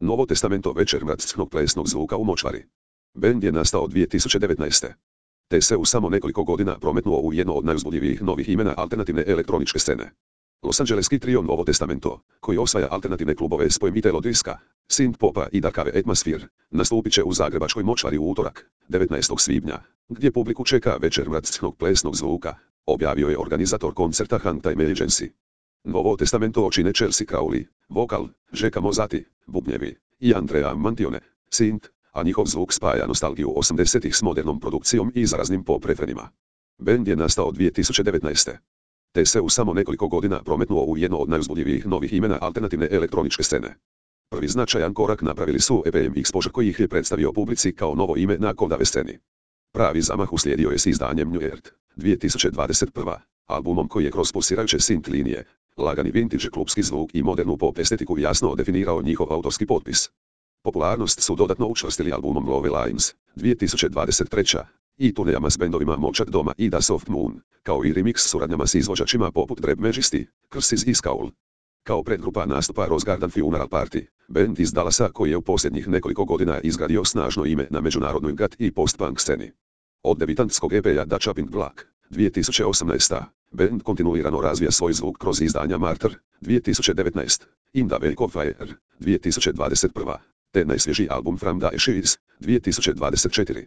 Novo Testamento večer bratskog plesnog zvuka u močvari. Bend je nastao 2019. Te se u samo nekoliko godina prometnuo u jedno od najuzbudljivijih novih imena alternativne elektroničke scene. Los Angeleski trio Novo Testamento, koji osvaja alternativne klubove s pojmitelj diska, synth popa i darkave atmosphere, nastupit će u zagrebačkoj močvari u utorak, 19. svibnja, gdje publiku čeka večer bratskog plesnog zvuka, objavio je organizator koncerta Hangtime Agency. Novo Testamento čine Chelsea Crowley, vokal, Žeka Mozati, bubnjevi, i Andrea Mantione, synth, a njihov zvuk spaja nostalgiju 80-ih s modernom produkcijom i zaraznim pop refrenima. Bend je nastao 2019. Te se u samo nekoliko godina prometnuo u jedno od najuzbudljivijih novih imena alternativne elektroničke scene. Prvi značajan korak napravili su EPM Exposure koji ih je predstavio publici kao novo ime na kodave sceni. Pravi zamah uslijedio je s izdanjem New Earth, 2021. albumom koji je kroz pulsirajuće synth linije, lagani vintage klubski zvuk i modernu pop estetiku jasno definirao njihov autorski potpis. Popularnost su dodatno učvrstili albumom Love Lines, 2023. i turnejama s bendovima Močak Doma i The Soft Moon, kao i remix suradnjama s izvođačima poput Drab Majesty, Curses i Scowl. Kao predgrupa nastupa Rose Garden Funeral Party, bend iz Dallasa koji je u posljednjih nekoliko godina izgradio snažno ime na međunarodnoj gut i post-punk sceni. Od debitantskog EP-a The Chopping Block, 2018. bend kontinuirano razvija svoj zvuk kroz izdanja Martyr, 2019. In the Wake of Fire, 2021. te najsvježiji album From the Ashes, 2024.